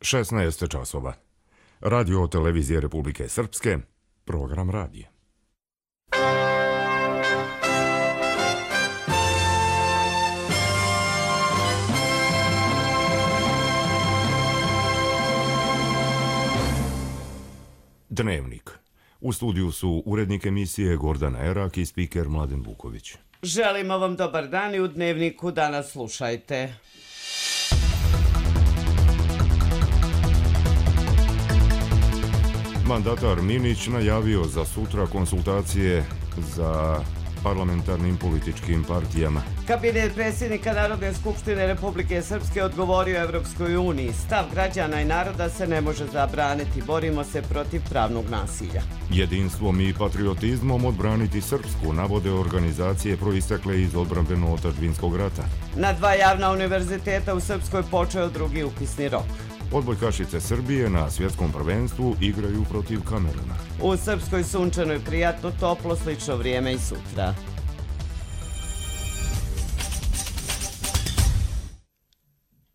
16 časova. Radio televizije Republike Srpske, program radije. Dnevnik. U studiju su urednik emisije Gordana Erak i spiker Mladen Vuković. Želimo vam dobar dan i u Dnevniku danas slušajte. Mandatar Minić najavio za sutra konsultacije za parlamentarnim političkim partijama. Kabinet predsjednika Narodne skupštine Republike Srpske odgovorio Evropskoj uniji. Stav građana i naroda se ne može zabraniti. Borimo se protiv pravnog nasilja. Jedinstvom i patriotizmom odbraniti Srpsku, navode organizacije proistekle iz odbrambeno-otadžbinskog rata. Na 2 javna univerziteta u Srpskoj počeo drugi upisni rok. Odbojkašice Srbije na svjetskom prvenstvu igraju protiv Kameruna. U Srpskoj sunčano i prijatno, toplo, slično vrijeme i sutra.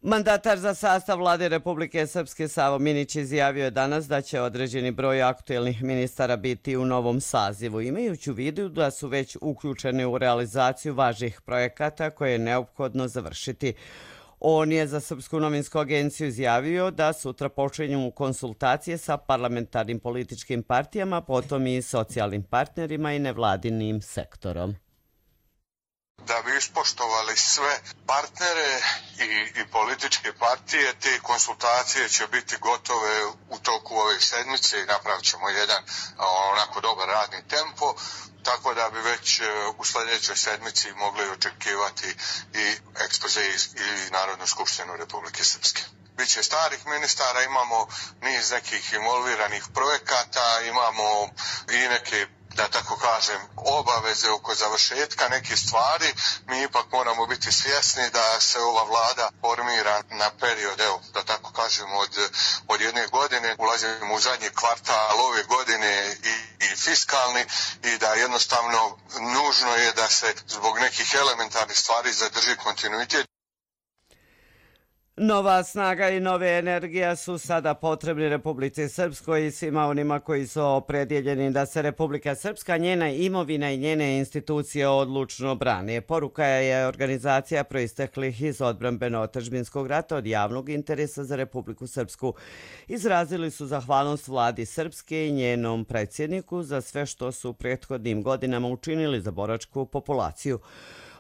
Mandatar za sastav vlade Republike Srpske Savo Minić izjavio je danas da će određeni broj aktuelnih ministara biti u novom sazivu, imajući u vidu da su već uključeni u realizaciju važnih projekata koje je neophodno završiti. On je za Srpsku novinsku agenciju izjavio da sutra počinju konsultacije sa parlamentarnim političkim partijama, potom i socijalnim partnerima i nevladinim sektorom. Da bi ispoštovali sve partnere i političke partije, te konsultacije će biti gotove u toku ove sedmice i napravit ćemo jedan onako dobar radni tempo, tako da bi već u sljedećoj sedmici mogli očekivati i ekspoze i Narodnu skupštinu Republike Srpske. Biće starih ministara, imamo niz nekih involviranih projekata, imamo i neke, da tako kažem, obaveze oko završetka nekih stvari. Mi ipak moramo biti svjesni da se ova vlada formira na period, evo, da tako kažem, od jedne godine. Ulazimo u zadnji kvartal ove godine i fiskalni i da jednostavno nužno je da se zbog nekih elementarnih stvari zadrži kontinuitet. Nova snaga i nove energija su sada potrebni Republici Srpskoj i svima onima koji su opredjeljeni da se Republika Srpska, njena imovina i njene institucije odlučno brane. Poruka je organizacija proisteklih iz odbrambeno-otadžbinskog rata od javnog interesa za Republiku Srpsku. Izrazili su zahvalnost vladi Srpske i njenom predsjedniku za sve što su prethodnim godinama učinili za boračku populaciju.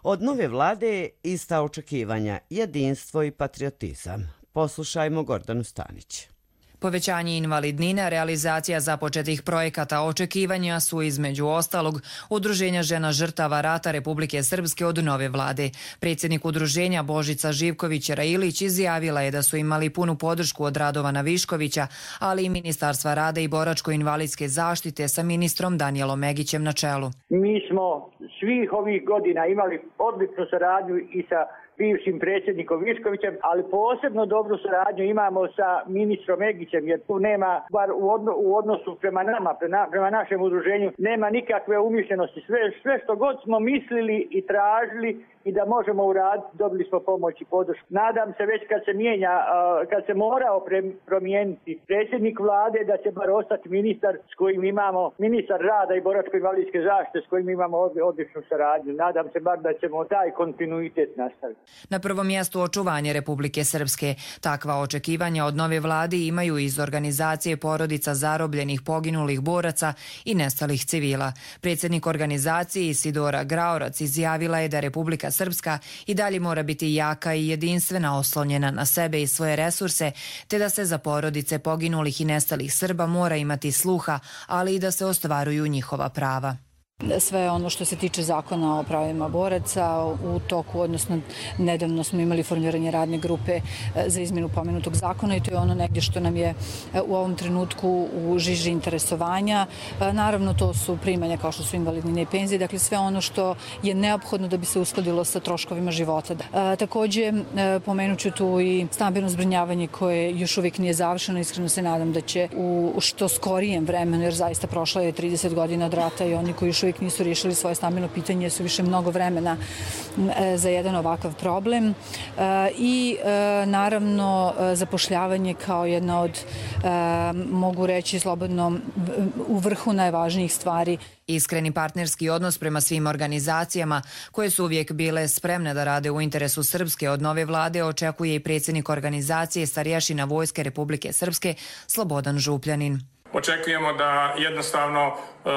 Od nove vlade ista očekivanja, jedinstvo i patriotizam. Poslušajmo Gordanu Stanić. Povećanje invalidnina, realizacija započetih projekata, očekivanja su između ostalog Udruženja žena žrtava rata Republike Srpske od nove vlade. Predsjednik udruženja Božica Živković-Railić izjavila je da su imali punu podršku od Radovana Viškovića, ali i Ministarstva rada i boračko-invalidske zaštite sa ministrom Danijelom Megićem na čelu. Mi smo svih ovih godina imali odličnu saradnju i sa bivšim predsjednikom Viškovićem, ali posebno dobru saradnju imamo sa ministrom Megićem, jer tu nema, bar u odnosu prema nama, prema našem udruženju, nema nikakve umišljenosti. Sve što god smo mislili i tražili i da možemo uraditi, dobili smo pomoć i podršku. Nadam se već kad se morao promijeniti predsjednik vlade, da će bar ostati ministar s kojim imamo, ministar rada i boračko-invalidske zaštite s kojim imamo odličnu saradnju. Nadam se bar da ćemo taj kontinuitet nastaviti. Na prvom mjestu očuvanje Republike Srpske. Takva očekivanja od nove vlade imaju iz organizacije porodica zarobljenih poginulih boraca i nestalih civila. Predsjednik organizacije Isidora Graorac izjavila je da Republika Srpska i dalje mora biti jaka i jedinstvena, oslonjena na sebe i svoje resurse, te da se za porodice poginulih i nestalih Srba mora imati sluha, ali i da se ostvaruju njihova prava. Sve ono što se tiče zakona o pravima boraca u toku, odnosno nedavno smo imali formiranje radne grupe za izmjenu pomenutog zakona i to je ono negdje što nam je u ovom trenutku u žiži interesovanja. Naravno, to su primanja kao što su invalidnine i penzije, dakle sve ono što je neophodno da bi se uskladilo sa troškovima života. Također pomenut ću tu i stambeno zbrinjavanje koje još uvijek nije završeno. Iskreno se nadam da će u što skorijem vremenu, jer zaista prošlo je 30 godina od rata i oni koji još uvijek nisu riješili svoje stambeno pitanje jer su više mnogo vremena za jedan ovakav problem. I naravno zapošljavanje kao jedna od, mogu reći slobodno, u vrhu najvažnijih stvari. Iskreni partnerski odnos prema svim organizacijama koje su uvijek bile spremne da rade u interesu Srpske od nove vlade očekuje i predsjednik organizacije Starješina Vojske Republike Srpske Slobodan Župljanin. Očekujemo da jednostavno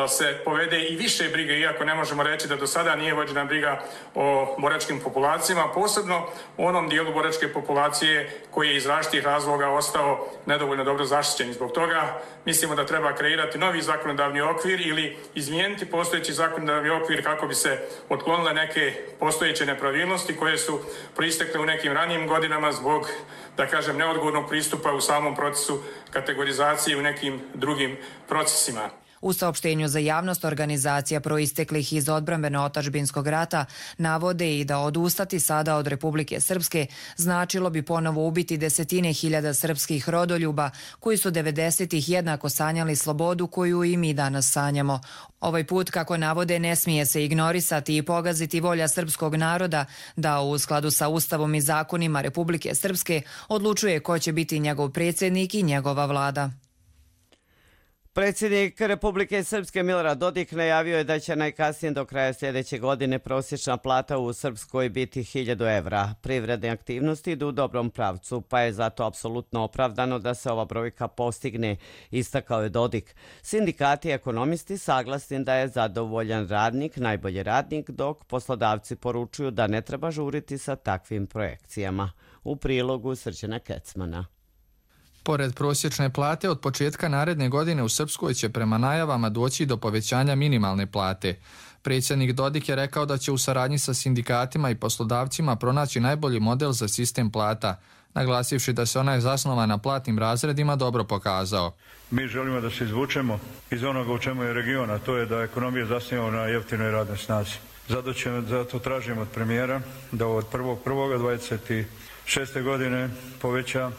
se povede i više brige, iako ne možemo reći da do sada nije vođena briga o boračkim populacijama, posebno u onom dijelu boračke populacije koji je iz različitih razloga ostao nedovoljno dobro zaštićen. Zbog toga mislimo da treba kreirati novi zakonodavni okvir ili izmijeniti postojeći zakonodavni okvir kako bi se otklonile neke postojeće nepravilnosti koje su proistekle u nekim ranijim godinama zbog, da kažem, neodgovornog pristupa u samom procesu kategorizacije u nekim drugim procesima. U saopštenju za javnost organizacija proisteklih iz odbrambeno-otadžbinskog rata navode i da odustati sada od Republike Srpske značilo bi ponovo ubiti desetine hiljada srpskih rodoljuba koji su 90-ih jednako sanjali slobodu koju i mi danas sanjamo. Ovaj put, kako navode, ne smije se ignorisati i pogaziti volja srpskog naroda da u skladu sa Ustavom i zakonima Republike Srpske odlučuje ko će biti njegov predsjednik i njegova vlada. Predsjednik Republike Srpske Milorad Dodik najavio je da će najkasnije do kraja sljedeće godine prosječna plata u Srpskoj biti 1000 evra. Privredne aktivnosti idu u dobrom pravcu, pa je zato apsolutno opravdano da se ova brojka postigne, istakao je Dodik. Sindikati i ekonomisti saglasni da je zadovoljan radnik najbolji radnik, dok poslodavci poručuju da ne treba žuriti sa takvim projekcijama. U prilogu Srđana Kecmana. Pored prosječne plate, od početka naredne godine u Srpskoj će prema najavama doći do povećanja minimalne plate. Predsjednik Dodik je rekao da će u saradnji sa sindikatima i poslodavcima pronaći najbolji model za sistem plata, naglasivši da se onaj zasnovan na platnim razredima dobro pokazao. Mi želimo da se izvučemo iz onoga u čemu je region, a to je da ekonomija zasniva na jeftinoj radnoj snazi. Zato tražimo od premijera da od 1.1.26. godine poveća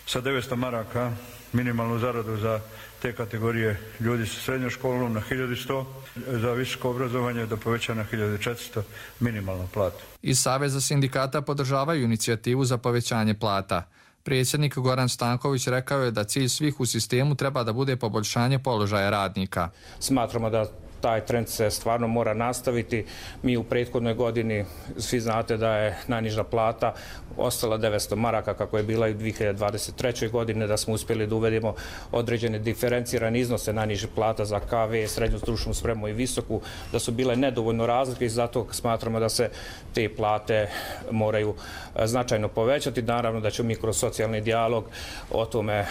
sa 900 maraka minimalnu zaradu za te kategorije ljudi sa srednjom školom na 1100, za visoko obrazovanje da poveća na 1400 minimalnu platu. Iz Saveza sindikata podržavaju inicijativu za povećanje plata. Predsjednik Goran Stanković rekao je da cilj svih u sistemu treba da bude poboljšanje položaja radnika. Smatramo da taj trend se stvarno mora nastaviti. Mi u prethodnoj godini, svi znate da je najniža plata ostala 900 maraka kako je bila i u 2023. godine, da smo uspjeli da uvedemo određene diferencirane iznose najnižih plata za KV, srednju stručnu spremu i visoku, da su bile nedovoljno razlike i zato smatramo da se te plate moraju značajno povećati. Naravno da ćemo mi kroz socijalni dijalog o tome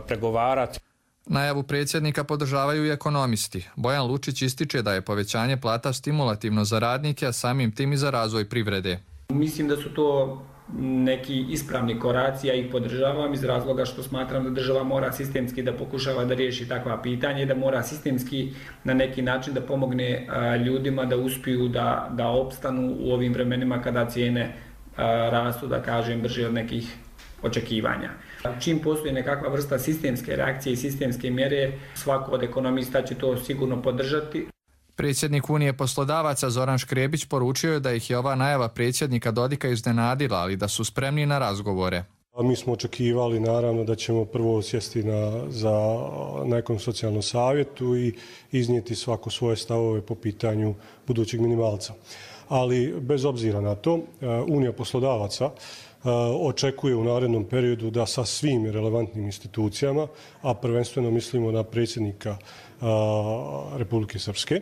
pregovarati. Najavu predsjednika podržavaju i ekonomisti. Bojan Lučić ističe da je povećanje plata stimulativno za radnike, a samim tim i za razvoj privrede. Mislim da su to neki ispravni koraci, ja ih podržavam iz razloga što smatram da država mora sistemski da pokušava da riješi takva pitanja i da mora sistemski na neki način da pomogne ljudima da uspiju da opstanu u ovim vremenima kada cijene rastu, da kažem, brže od nekih očekivanja. Čim postoji nekakva vrsta sistemske reakcije i sistemske mjere, svako od ekonomista će to sigurno podržati. Predsjednik Unije poslodavaca Zoran Škrebić poručio je da ih je ova najava predsjednika Dodika iznenadila, ali da su spremni na razgovore. Mi smo očekivali naravno da ćemo prvo sjesti za nekom socijalnom savjetu i iznijeti svako svoje stavove po pitanju budućeg minimalca. Ali bez obzira na to, Unija poslodavaca očekuje u narednom periodu da sa svim relevantnim institucijama, a prvenstveno mislimo na predsjednika Republike Srpske,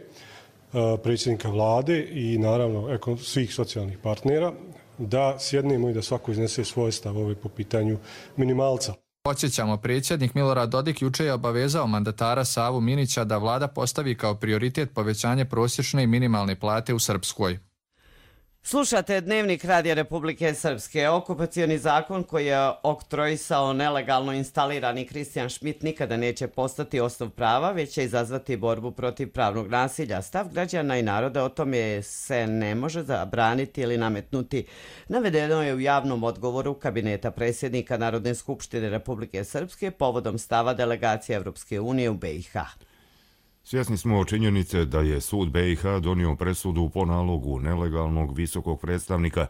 predsjednika vlade i naravno svih socijalnih partnera, da sjednemo i da svako iznese svoje stavove po pitanju minimalca. Podsjećamo, predsjednik Milorad Dodik juče je obavezao mandatara Savu Minića da vlada postavi kao prioritet povećanje prosječne i minimalne plate u Srpskoj. Slušate Dnevnik Radija Republike Srpske. Okupacioni zakon koji je oktroisao nelegalno instalirani Kristijan Šmit nikada neće postati osnov prava, već će izazvati borbu protiv pravnog nasilja. Stav građana i naroda o tome se ne može zabraniti ili nametnuti. Navedeno je u javnom odgovoru kabineta predsjednika Narodne skupštine Republike Srpske povodom stava delegacije Evropske unije u BiH. Svjesni smo činjenice da je sud BiH donio presudu po nalogu nelegalnog visokog predstavnika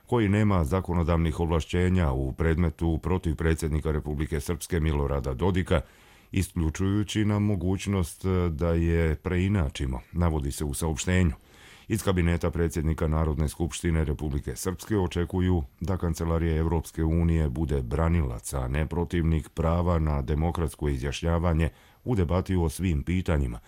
koji nema zakonodavnih ovlašćenja u predmetu protiv predsjednika Republike Srpske Milorada Dodika, isključujući nam mogućnost da je preinačimo, navodi se u saopštenju. Iz kabineta predsjednika Narodne skupštine Republike Srpske očekuju da Kancelarija Evropske unije bude branilac, a ne protivnik prava na demokratsko izjašnjavanje u debati o svim pitanjima,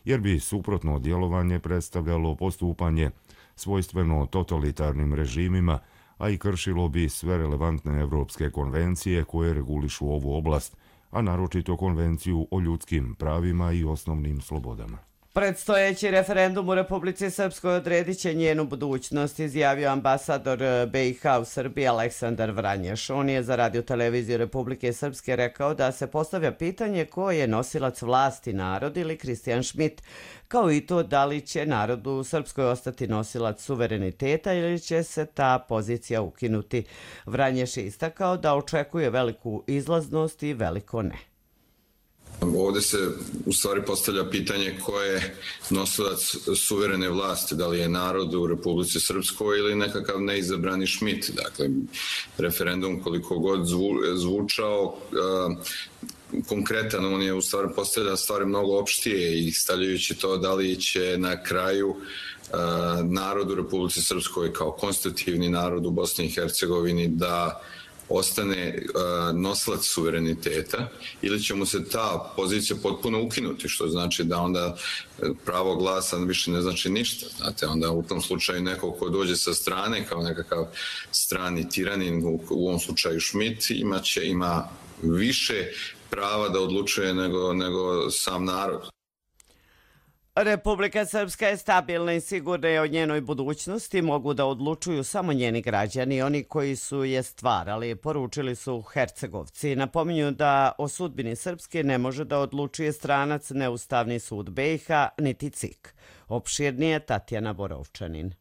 jer bi suprotno djelovanje predstavljalo postupanje svojstveno totalitarnim režimima, a i kršilo bi sve relevantne evropske konvencije koje regulišu ovu oblast, a naročito Konvenciju o ljudskim pravima i osnovnim slobodama. Predstojeći referendum u Republici Srpskoj odredit će njenu budućnost, izjavio ambasador BiH u Srbiji Aleksandar Vranješ. On je za Radio-televiziju Republike Srpske rekao da se postavlja pitanje ko je nosilac vlasti, narod ili Kristijan Šmit, kao i to da li će narod u Srpskoj ostati nosilac suvereniteta ili će se ta pozicija ukinuti. Vranješ je istakao da očekuje veliku izlaznost i veliko ne. Ovdje se u stvari postavlja pitanje ko je nosilac suverene vlasti, da li je narod u Republici Srpskoj ili nekakav neizabrani Šmit. Dakle, referendum koliko god zvučao konkretan, on je u stvari postavlja stvari mnogo opštije i stavljajući to da li će na kraju narod u Republici Srpskoj kao konstitutivni narod u Bosni i Hercegovini da ostane nosilac suvereniteta ili će mu se ta pozicija potpuno ukinuti, što znači da onda pravo glasa više ne znači ništa. Znate, onda u tom slučaju neko ko dođe sa strane kao nekakav strani tiranin, u ovom slučaju Šmit, ima više prava da odlučuje nego sam narod. Republika Srpska je stabilna i sigurna i o njenoj budućnosti mogu da odlučuju samo njeni građani, oni koji su je stvarali, poručili su Hercegovci. Napominju da o sudbini Srpske ne može da odlučuje stranac Neustavni sud BiH niti CIK. Opširnije Tatjana Borovčanin.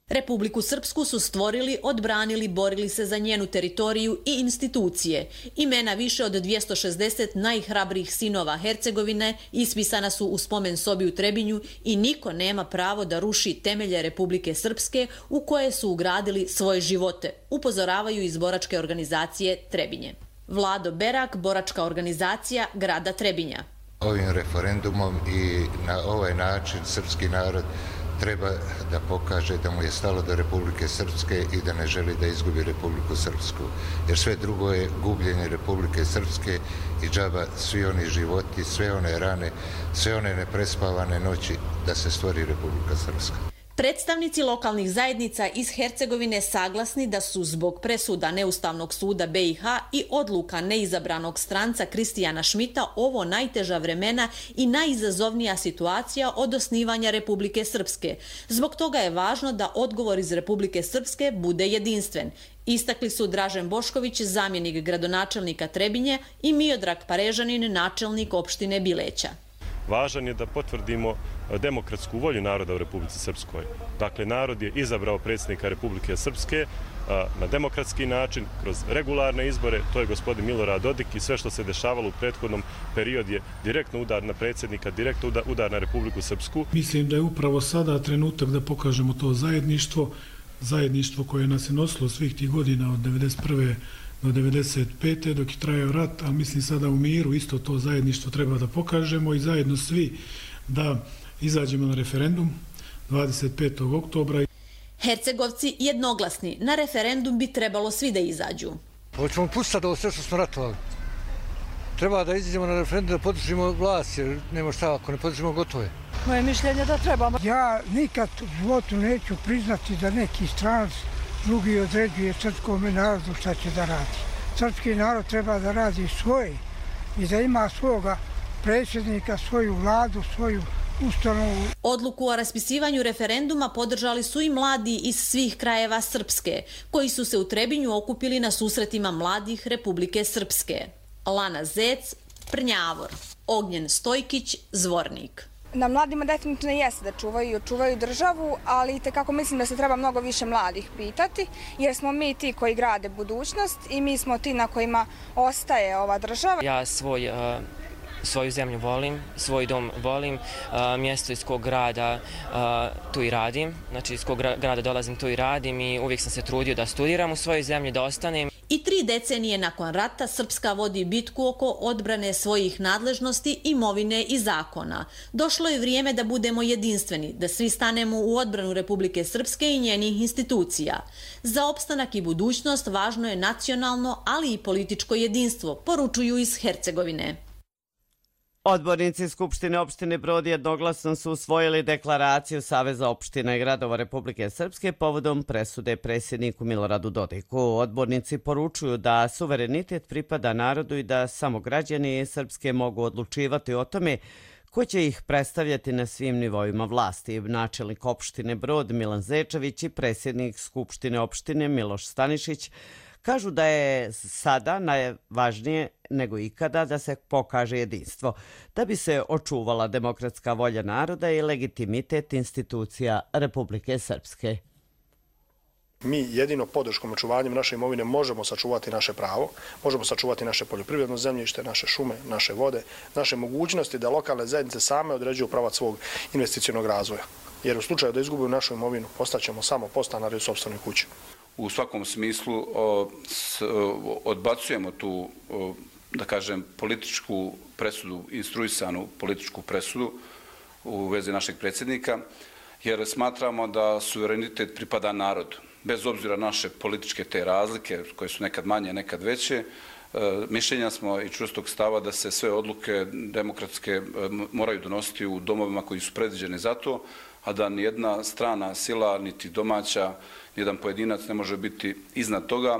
Republiku Srpsku su stvorili, odbranili, borili se za njenu teritoriju i institucije. Imena više od 260 najhrabrijih sinova Hercegovine ispisana su u spomen sobi u Trebinju i niko nema pravo da ruši temelje Republike Srpske u koje su ugradili svoje živote, upozoravaju iz boračke organizacije Trebinje. Vlado Berak, boračka organizacija grada Trebinja. Ovim referendumom i na ovaj način srpski narod treba da pokaže da mu je stalo do Republike Srpske i da ne želi da izgubi Republiku Srpsku. Jer sve drugo je gubljenje Republike Srpske i džaba svi oni životi, sve one rane, sve one neprespavane noći da se stvori Republika Srpska. Predstavnici lokalnih zajednica iz Hercegovine saglasni da su zbog presuda Neustavnog suda BiH i odluka neizabranog stranca Kristijana Šmita ovo najteža vremena i najizazovnija situacija od osnivanja Republike Srpske. Zbog toga je važno da odgovor iz Republike Srpske bude jedinstven. Istakli su Dražen Bošković, zamjenik gradonačelnika Trebinje, i Miodrag Parežanin, načelnik opštine Bileća. Važan je da potvrdimo demokratsku volju naroda u Republici Srpskoj. Dakle, narod je izabrao predsjednika Republike Srpske na demokratski način, kroz regularne izbore. To je gospodin Milorad Dodik i sve što se dešavalo u prethodnom periodu je direktno udar na predsjednika, direktno udar na Republiku Srpsku. Mislim da je upravo sada trenutak da pokažemo to zajedništvo koje nas je nosilo svih tih godina od 1991. do 1995. dok je trajao rat, a mislim sada u miru isto to zajedništvo treba da pokažemo i zajedno svi da izađemo na referendum 25. oktobra. Hercegovci jednoglasni, na referendum bi trebalo svi da izađu. Hoćemo pustiti ovo sve što smo ratovali. Treba da izađemo na referendum da podržimo vlast, jer nema šta, ako ne podržimo gotovo je. Moje mišljenje da trebamo. Ja nikad u životu neću priznati da neki stranac drugi određuje srpskom narodu šta će da radi. Srpski narod treba da radi svoje i da ima svoga predsjednika, svoju vladu, svoju ustanovu. Odluku o raspisivanju referenduma podržali su i mladi iz svih krajeva Srpske, koji su se u Trebinju okupili na susretima mladih Republike Srpske. Lana Zec, Prnjavor, Ognjen Stojkić, Zvornik. Na mladima definitivno jeste da čuvaju državu, ali itekako mislim da se treba mnogo više mladih pitati, jer smo mi ti koji grade budućnost i mi smo ti na kojima ostaje ova država. Ja svoj Svoju zemlju volim, svoj dom volim, mjesto iz kog grada tu i radim, znači iz kog grada dolazim tu i radim i uvijek sam se trudio da studiram u svojoj zemlji, da ostanem. I 3 decenije nakon rata Srpska vodi bitku oko odbrane svojih nadležnosti, imovine i zakona. Došlo je vrijeme da budemo jedinstveni, da svi stanemo u odbranu Republike Srpske i njenih institucija. Za opstanak i budućnost važno je nacionalno, ali i političko jedinstvo, poručuju iz Hercegovine. Odbornici Skupštine opštine Brod jednoglasno su usvojili deklaraciju Saveza opština i gradova Republike Srpske povodom presude predsjedniku Miloradu Dodiku. Odbornici poručuju da suverenitet pripada narodu i da samo građani Srpske mogu odlučivati o tome ko će ih predstavljati na svim nivoima vlasti. Načelnik opštine Brod Milan Zečević i predsjednik Skupštine opštine Miloš Stanišić kažu da je sada najvažnije nego ikada da se pokaže jedinstvo, da bi se očuvala demokratska volja naroda i legitimitet institucija Republike Srpske. Mi jedino podrškom očuvanjem naše imovine možemo sačuvati naše pravo, možemo sačuvati naše poljoprivredno zemljište, naše šume, naše vode, naše mogućnosti da lokalne zajednice same određuju pravac svog investicionog razvoja. Jer u slučaju da izgubimo našu imovinu, postaćemo samo podstanari u sopstvenoj kući. U svakom smislu odbacujemo tu, da kažem, političku presudu, instruisanu političku presudu u vezi našeg predsjednika, jer smatramo da suverenitet pripada narodu. Bez obzira naše političke te razlike, koje su nekad manje, nekad veće, mišljenja smo i čvrstog stava da se sve odluke demokratske moraju donositi u domovima koji su predviđeni za to, a da nijedna strana sila, niti domaća, nijedan pojedinac ne može biti iznad toga.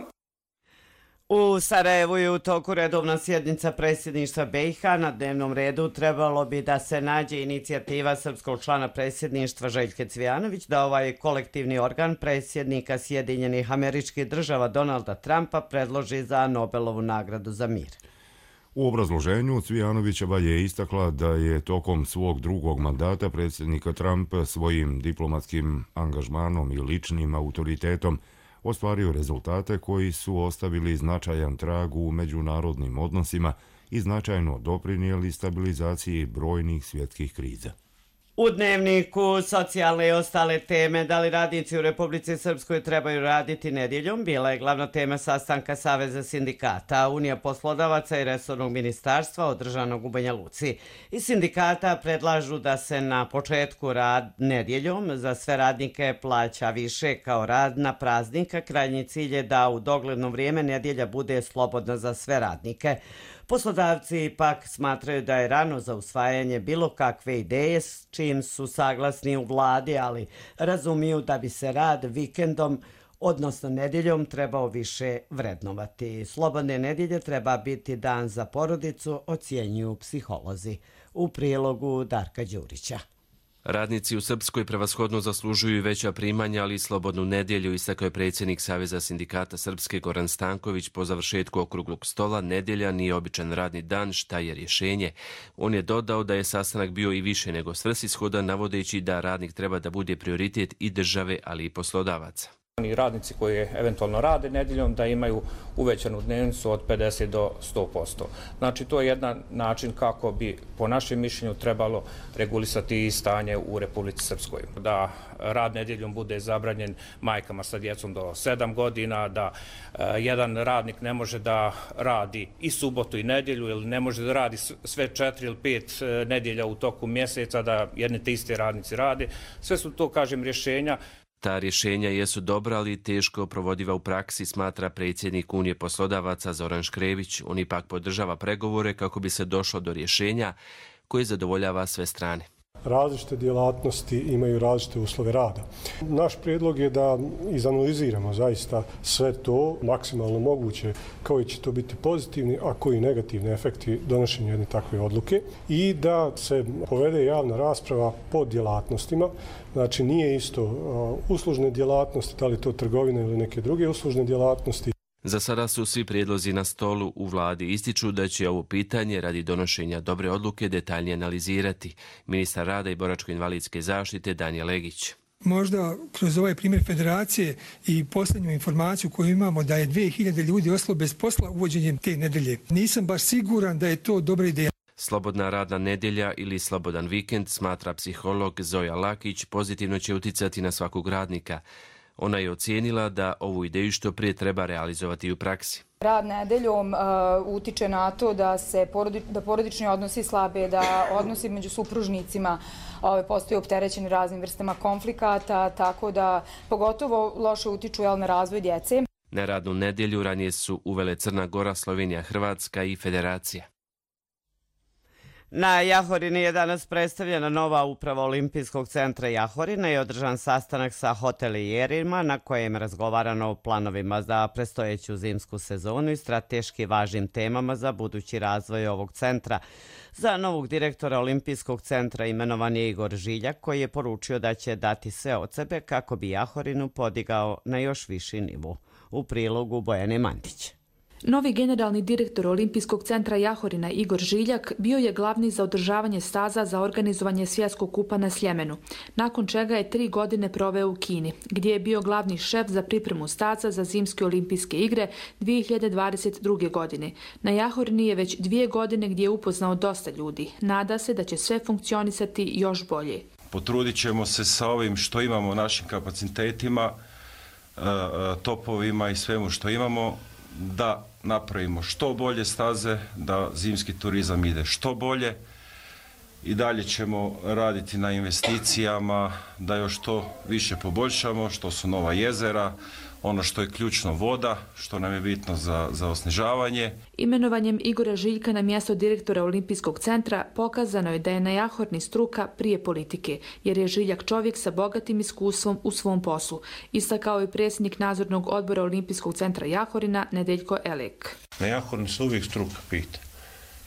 U Sarajevu je u toku redovna sjednica predsjedništva BiH. Na dnevnom redu trebalo bi da se nađe inicijativa srpskog člana predsjedništva Željke Cvijanović da ovaj kolektivni organ predsjednika Sjedinjenih Američkih Država Donalda Trumpa predloži za Nobelovu nagradu za mir. U obrazloženju Cvijanovićeva je istakla da je tokom svog drugog mandata predsjednika Trump svojim diplomatskim angažmanom i ličnim autoritetom ostvario rezultate koji su ostavili značajan trag u međunarodnim odnosima i značajno doprinijeli stabilizaciji brojnih svjetskih kriza. U dnevniku socijalne i ostale teme, da li radnici u Republici Srpskoj trebaju raditi nedjeljom, bila je glavna tema sastanka Saveza sindikata, Unija poslodavaca i resornog ministarstva održanog u Banja Luci. Iz sindikata predlažu da se na početku rad nedjeljom za sve radnike plaća više kao rad na praznika. Krajnji cilj je da u dogledno vrijeme nedjelja bude slobodna za sve radnike. Poslodavci pak smatraju da je rano za usvajanje bilo kakve ideje s čim su saglasni u vladi, ali razumiju da bi se rad vikendom, odnosno nedjeljom, trebao više vrednovati. Slobodne nedjelje treba biti dan za porodicu, ocjenjuju psiholozi. U prilogu Darka Đurića. Radnici u Srpskoj prevashodno zaslužuju veća primanja, ali i slobodnu nedjelju, istakao je predsjednik Saveza sindikata Srpske Goran Stanković po završetku okruglog stola. Nedjelja nije običan radni dan, šta je rješenje. On je dodao da je sastanak bio i više nego svrsishodan, navodeći da radnik treba da bude prioritet i države, ali i poslodavaca. Radnici koji eventualno rade nedjeljom da imaju uvećanu dnevnicu od 50 do 100%. Znači to je jedan način kako bi po našem mišljenju trebalo regulisati i stanje u Republici Srpskoj. Da rad nedjeljom bude zabranjen majkama sa djecom do 7 godina, da jedan radnik ne može da radi i subotu i nedjelju ili ne može da radi sve 4 ili 5 nedjelja u toku mjeseca, da jedne te iste radnici rade. Sve su to, kažem, rješenja. Ta rješenja jesu dobra, ali teško provodiva u praksi, smatra predsjednik Unije poslodavaca Zoran Škrević. On ipak podržava pregovore kako bi se došlo do rješenja koje zadovoljava sve strane. Različite djelatnosti imaju različite uslove rada. Naš prijedlog je da izanaliziramo zaista sve to maksimalno moguće, koji će to biti pozitivni, a koji negativni efekti donošenja jedne takve odluke i da se povede javna rasprava po djelatnostima. Znači nije isto uslužne djelatnosti, da li to trgovine ili neke druge uslužne djelatnosti. Za sada su svi prijedlozi na stolu. U vladi ističu da će ovo pitanje radi donošenja dobre odluke detaljnije analizirati. Ministar rada i boračko-invalidske zaštite Danijel Legić. Možda kroz ovaj primjer federacije i posljednju informaciju koju imamo da je 2000 ljudi ostalo bez posla uvođenjem te nedelje. Nisam baš siguran da je to dobra ideja. Slobodna radna nedjelja ili slobodan vikend, smatra psiholog Zoja Lakić, pozitivno će uticati na svakog radnika. Ona je ocijenila da ovu ideju što prije treba realizovati u praksi. Rad nedeljom utiče na to da se porodični odnosi slabe, da odnosi među supružnicima postaju opterećeni raznim vrstama konflikata, tako da pogotovo loše utiču na razvoj djece. Neradnu nedjelju ranije su uvele Crna Gora, Slovenija, Hrvatska i Federacija. Na Jahorini je danas predstavljena nova uprava Olimpijskog centra Jahorina i održan sastanak sa hotelijerima na kojem je razgovarano o planovima za predstojeću zimsku sezonu i strateški važnim temama za budući razvoj ovog centra. Za novog direktora Olimpijskog centra imenovan je Igor Žiljak, koji je poručio da će dati sve od sebe kako bi Jahorinu podigao na još viši nivo. U prilogu Bojane Mandić. Novi generalni direktor Olimpijskog centra Jahorina Igor Žiljak bio je glavni za održavanje staza za organizovanje svjetskog kupa na Sljemenu, nakon čega je 3 godine proveo u Kini, gdje je bio glavni šef za pripremu staza za zimske olimpijske igre 2022. godine. Na Jahorini je već 2 godine gdje je upoznao dosta ljudi. Nada se da će sve funkcionisati još bolje. Potrudit ćemo se sa ovim što imamo, našim kapacitetima, topovima i svemu što imamo, da napravimo što bolje staze, da zimski turizam ide što bolje i dalje ćemo raditi na investicijama, da još to više poboljšamo, što su nova jezera, ono što je ključno voda, što nam je bitno za osnežavanje. Imenovanjem Igora Žiljka na mjesto direktora Olimpijskog centra pokazano je da je na Jahorni struka prije politike, jer je Žiljak čovjek sa bogatim iskustvom u svom poslu, istakao je predsjednik nadzornog odbora Olimpijskog centra Jahorina Nedeljko Elek. Na Jahorni se uvijek struka pita.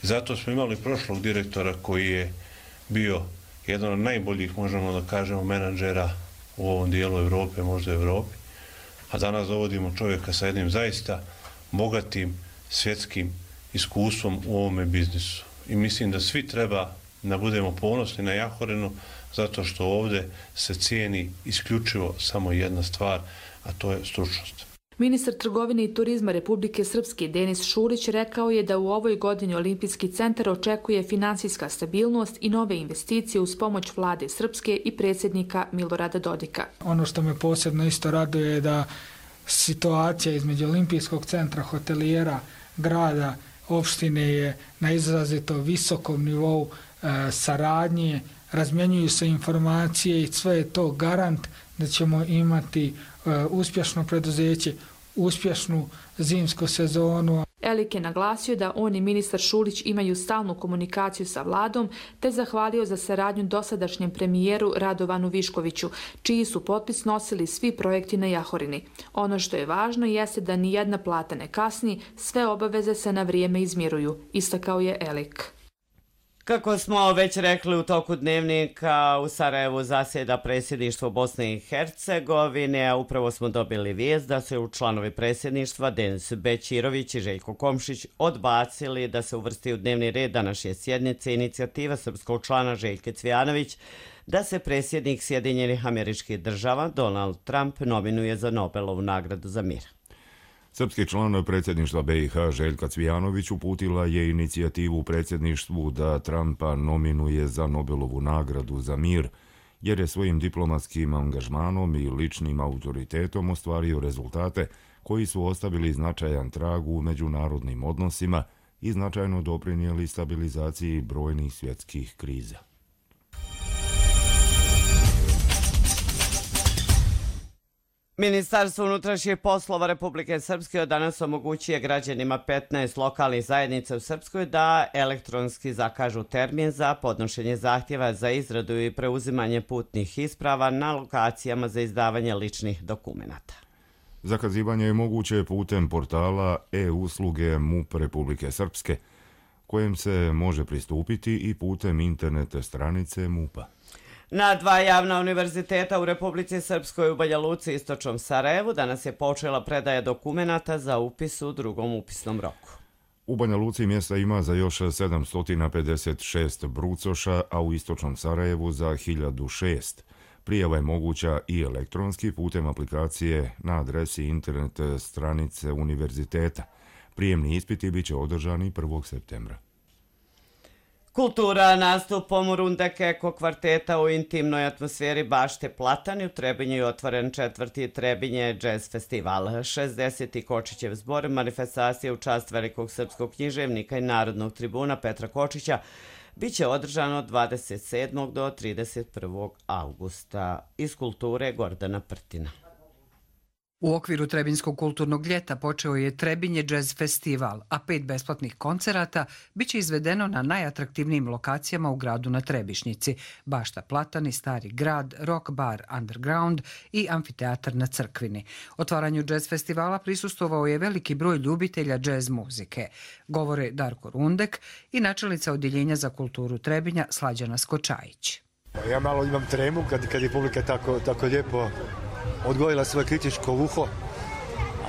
Zato smo imali prošlog direktora koji je bio jedan od najboljih, možemo da kažemo, menadžera u ovom dijelu Europe, možda Europi. A danas dovodimo čovjeka sa jednim zaista bogatim svjetskim iskustvom u ovome biznisu. I mislim da svi treba da budemo ponosni na Jahorinu, zato što ovdje se cijeni isključivo samo jedna stvar, a to je stručnost. Ministar trgovine i turizma Republike Srpske Denis Šulić rekao je da u ovoj godini Olimpijski centar očekuje finansijska stabilnost i nove investicije uz pomoć vlade Srpske i predsjednika Milorada Dodika. Ono što me posebno isto raduje je da situacija između Olimpijskog centra, hotelijera, grada, opštine je na izrazito visokom nivou saradnje, razmjenjuju se informacije i sve je to garant da ćemo imati uspješno preduzeće, uspješnu zimsku sezonu. Elik je naglasio da on i ministar Šulić imaju stalnu komunikaciju sa vladom, te zahvalio za saradnju dosadašnjem premijeru Radovanu Viškoviću, čiji su potpis nosili svi projekti na Jahorini. Ono što je važno jeste da ni jedna plata ne kasni, sve obaveze se na vrijeme izmiruju, istakao je Elik. Kako smo već rekli u toku dnevnika, u Sarajevu zasjeda predsjedništvo Bosne i Hercegovine, a upravo smo dobili vijest da su članovi predsjedništva Denis Bećirović i Željko Komšić odbacili da se uvrsti u dnevni red današnje sjednice inicijativa srpskog člana Željke Cvijanović da se predsjednik Sjedinjenih Američkih Država Donald Trump nominuje za Nobelovu nagradu za mir. Srpski član predsjedništva BiH Željka Cvijanović uputila je inicijativu u predsjedništvu da Trumpa nominuje za Nobelovu nagradu za mir, jer je svojim diplomatskim angažmanom i ličnim autoritetom ostvario rezultate koji su ostavili značajan trag u međunarodnim odnosima i značajno doprinijeli stabilizaciji brojnih svjetskih kriza. Ministarstvo unutrašnjih poslova Republike Srpske od danas omogućuje građanima 15 lokalnih zajednica u Srpskoj da elektronski zakažu termin za podnošenje zahtjeva za izradu i preuzimanje putnih isprava na lokacijama za izdavanje ličnih dokumenata. Zakazivanje je moguće putem portala e-usluge MUP Republike Srpske, kojem se može pristupiti i putem internet stranice MUP-a. Na 2 javna univerziteta u Republici Srpskoj u Banja Luci i istočnom Sarajevu danas je počela predaja dokumenata za upis u drugom upisnom roku. U Banja Luci mjesta ima za još 756 brucoša, a u istočnom Sarajevu za 1006. Prijava je moguća i elektronski putem aplikacije na adresi internet stranice univerziteta. Prijemni ispiti bit će održani 1. septembra. Kultura nastupom Rundek Eko kvarteta u intimnoj atmosferi bašte Platani u Trebinju je otvoren 4. Trebinje jazz festival. 60. Kočićev zbor manifestacije u čast velikog srpskog književnika i narodnog tribuna Petra Kočića biće održano od 27. do 31. augusta. Iz kulture Gordana Prtina. U okviru Trebinskog kulturnog ljeta počeo je Trebinje jazz festival, a 5 besplatnih koncerata biće izvedeno na najatraktivnijim lokacijama u gradu na Trebišnjici: Bašta Platani, Stari grad, Rock bar Underground i amfiteatar na Crkvini. Otvaranju jazz festivala prisustvovao je veliki broj ljubitelja jazz muzike. Govore Darko Rundek i načelnica Odjeljenja za kulturu Trebinja Slađana Skočajić. Ja malo imam tremu kad je publika tako lijepo odgojila svoje kritičko uho,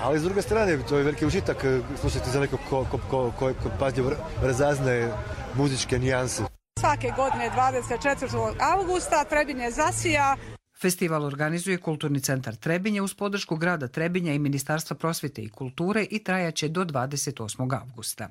ali s druge strane to je veliki užitak slušati za neko ko pažljivo razaznaje muzičke nijanse. Svake godine 24. augusta Trebinje zasija. Festival organizuje Kulturni centar Trebinje uz podršku grada Trebinja i Ministarstva prosvjete i kulture i trajaće do 28. augusta.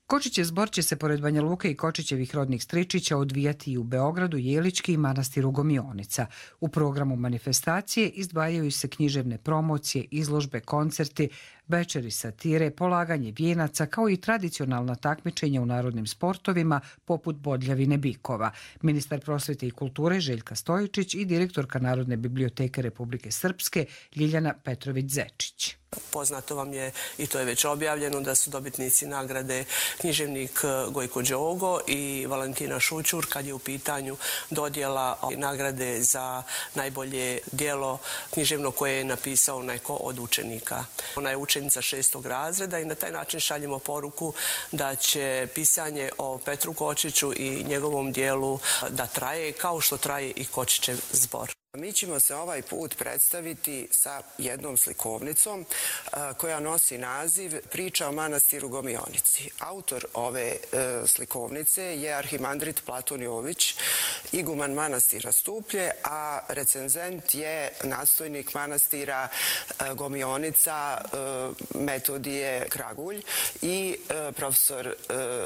Kočićev zbor će se pored Banja Luke i Kočićevih rodnih stričića odvijati i u Beogradu, Jelički i manastiru Gomionica. U programu manifestacije izdvajaju se književne promocije, izložbe, koncerti, večeri satire, polaganje vijenaca kao i tradicionalna takmičenja u narodnim sportovima poput bodljavine bikova. Ministar prosvjete i kulture Željka Stojičić i direktorka Narodne biblioteke Republike Srpske Ljiljana Petrović-Zečić. Poznato vam je, i to je već objavljeno, da su dobitnici nagrade književnik Gojko Đogo i Valentina Šućur kad je u pitanju dodjela nagrade za najbolje djelo književno koje je napisao neko od učenika. Ona je učenica 6. razreda i na taj način šaljemo poruku da će pisanje o Petru Kočiću i njegovom djelu da traje kao što traje i Kočićev zbor. Mi ćemo se ovaj put predstaviti sa jednom slikovnicom koja nosi naziv Priča o manastiru Gomionici. Autor ove slikovnice je arhimandrit Platon Jović, iguman manastira Stuplje, a recenzent je nadstojnik manastira Gomionica Metodije Kragulj i profesor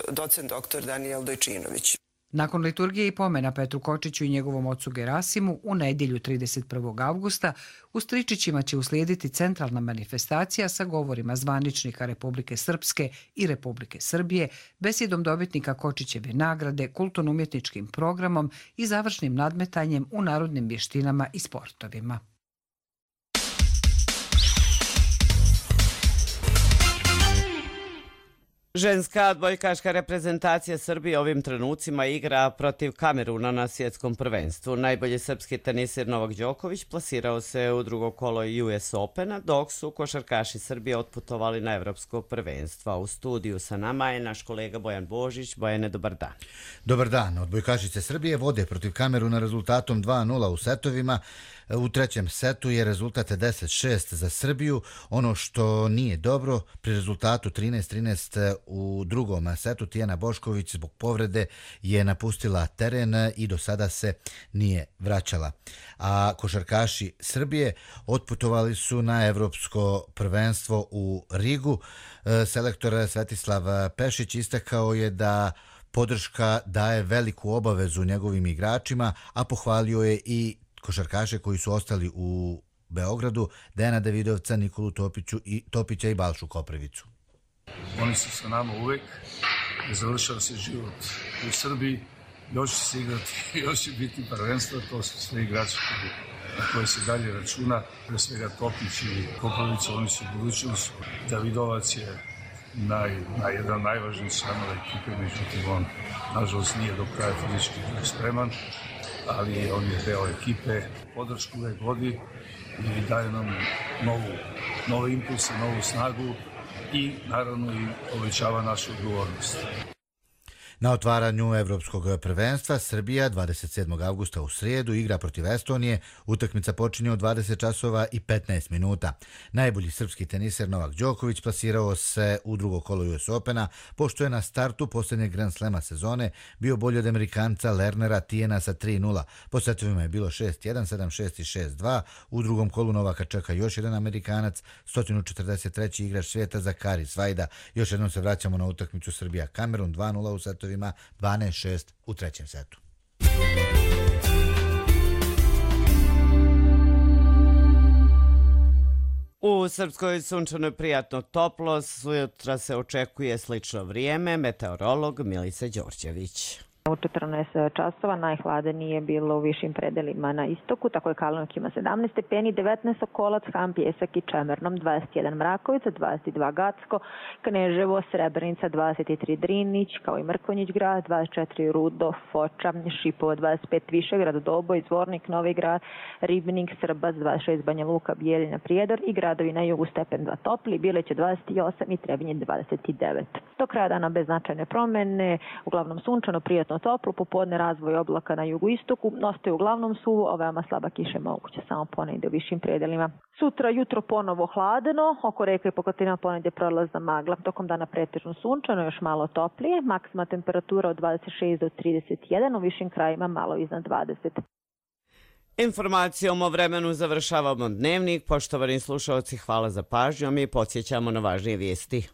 docent dr. Danijel Dojčinović. Nakon liturgije i pomena Petru Kočiću i njegovom ocu Gerasimu u nedjelju 31. augusta u Stričićima će uslijediti centralna manifestacija sa govorima zvaničnika Republike Srpske i Republike Srbije, besjedom dobitnika Kočićeve nagrade, kulturno-umjetničkim programom i završnim nadmetanjem u narodnim vještinama i sportovima. Ženska odbojkaška reprezentacija Srbije ovim trenucima igra protiv Kameruna na svjetskom prvenstvu. Najbolji srpski tenisir Novak Đoković plasirao se u drugo kolo US Opena, dok su košarkaši Srbije otputovali na evropsko prvenstvo. U studiju sa nama je naš kolega Bojan Božić. Bojane, dobar dan. Dobar dan. Odbojkašice Srbije vode protiv Kameruna rezultatom 2:0 u setovima. U trećem setu je rezultat 10-6 za Srbiju. Ono što nije dobro, pri rezultatu 13-13 u drugom setu Tijana Bošković zbog povrede je napustila teren i do sada se nije vraćala. A košarkaši Srbije otputovali su na evropsko prvenstvo u Rigu. Selektor Svetislav Pešić istakao je da podrška daje veliku obavezu njegovim igračima, a pohvalio je i košarkaše koji su ostali u Beogradu, Dejana Davidovca, Nikolu Topića i Balšu Koprivicu. Oni su sa nama uvek, završava se život u Srbiji, još će se igrati, još će biti prvenstva, to su sve igrači na koje se dalje računa, pre svega Topić i Koprivica, oni su budućnost. Davidovac je jedan najvažniji članova ekipe, međutim on nažalost nije do kraja fizički spreman, ali on je deo ekipe, podršku uvek vodi i daje nam nove impulse, novu snagu i naravno i povećava našu odgovornost. Na otvaranju evropskog prvenstva Srbija 27. augusta u srijedu igra protiv Estonije. Utakmica počinje u 20 časova i 15 minuta. Najbolji srpski teniser Novak Đoković plasirao se u drugo kolo US Opena, pošto je na startu posljednjeg Grand Slema sezone bio bolji od Amerikanca Lernera Tijena sa 3:0. Po setovima je bilo 6:1, 7:6 i 6:2. U drugom kolu Novaka čeka još jedan Amerikanac, 143. igrač svijeta Zakari Svajda. Još jednom se vraćamo na utakmicu Srbija-Kamerun, 2:0 u setovima. setovima 12-6 u trećem setu. U Srpskoj sunčanoj prijatno toplo, sutra se očekuje slično vrijeme, meteorolog Milica Đorđević. U 14 časova najhladnije je bilo u višim predelima na istoku, tako je Kalnovik ima 17 stepeni, 19 Sokolac, Han, Pjesak i Čemernom, 21 Mrakovica, 22 Gacko, Kneževo, Srebrenica, 23 Drinić, kao i Mrkonjić grad, 24 Rudo, Foča, Šipovo, 25 Višegrad, Doboj, Zvornik, Novi grad, Ribnik, Srbac, 26 Banja Luka, Bijeljina, Prijedor i gradovi na jugu stepen 2 topli, Bileće 28 i Trebinje 29. Do kraja dana bez značajne promjene, uglavnom sunčano, prijatno toplo, popodne razvoj oblaka na jugoistoku, ostaje uglavnom suvo, a veoma slaba kiša je moguće samo ponegdje u višim predelima. Sutra jutro ponovo hladno, oko reka i poklotina ponegdje prolazna magla, tokom dana pretežno sunčano, još malo toplije, maksimalna temperatura od 26 do 31, u višim krajima malo iznad 20. Informacijom o vremenu završavamo dnevnik. Poštovani slušalci, hvala za pažnju, mi podsjećamo na važnije vijesti.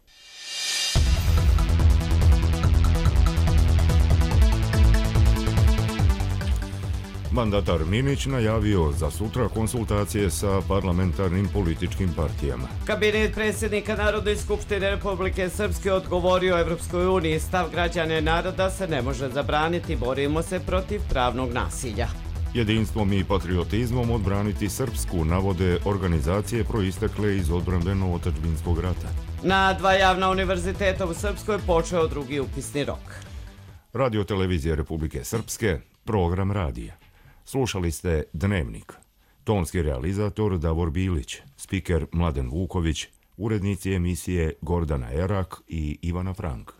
Mandatar Minić najavio za sutra konsultacije sa parlamentarnim političkim partijama. Kabinet predsjednika Narodne skupštine Republike Srpske odgovorio Evropskoj uniji: stav građana naroda se ne može zabraniti, borimo se protiv pravnog nasilja. Jedinstvom i patriotizmom odbraniti Srpsku, navode organizacije proistekle iz odbrambeno-otadžbinskog rata. Na 2 javna univerziteta u Srpskoj počeo drugi upisni rok. Radio televizije Republike Srpske, program radija. Slušali ste Dnevnik. Tonski realizator Davor Bilić, spiker Mladen Vuković, urednici emisije Gordana Erak i Ivana Frank.